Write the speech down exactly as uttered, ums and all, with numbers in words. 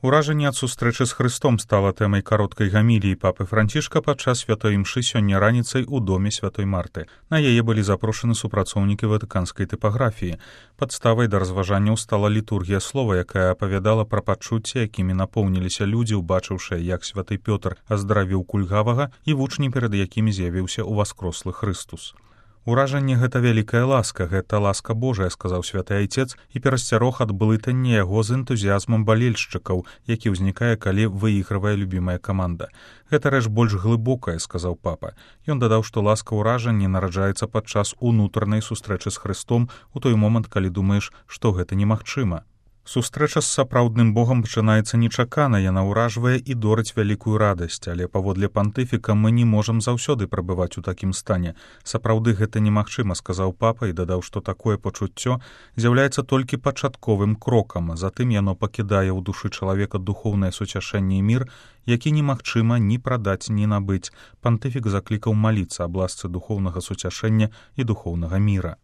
Уражанне ад сустрэчы з Хрыстом стала тэмай кароткай гаміліі папы Францішка падчас святой імшы сёння раніцай у доме святой Марты. На яе былі запрошаны супрацоўнікі ватыканскай тыпаграфіі. Падставай да разважанняў стала літургія слова, якая апавядала пра пачуцці, якімі напоўніліся людзі, убачыўшы, як святы Пётр аздравіў кульгавага і вучні, перад якімі з'явіўся ўваскрослы Хрыстус. Уражанне гэта вялікая ласка, гэта ласка Божая, сказаў святы айцец і перасцярог ад блытання яго з энтузіязмам балельшчыкаў, які ўзнікае, калі выігрывае любімая каманда. Гэта рэч больш глыбокая, сказаў папа. Ён дадаў, што ласка ўражання нараджаецца падчас унутранай сустрэчы з Хрыстом у той момант, калі думаеш, што гэта немагчыма. Сустрэча з сапраўдным Богам пачынаецца нечакана, яна ўражвае і дорыць вялікую радасць, але паводле пантыфіка мы не можам заўсёды прабываць у такім стане. Сапраўды гэта немагчыма, сказаў папа і дадаў, што такое пачуццё з'яўляецца толькі пачатковым крокам, затым яно пакідае ў душы чалавека духоўнае суцяшэнне і мір, які немагчыма ні прадаць, ні набыць. Пантыфік заклікаў маліцца аб ласцы духоўнага суцяшэння і духоўнага міра.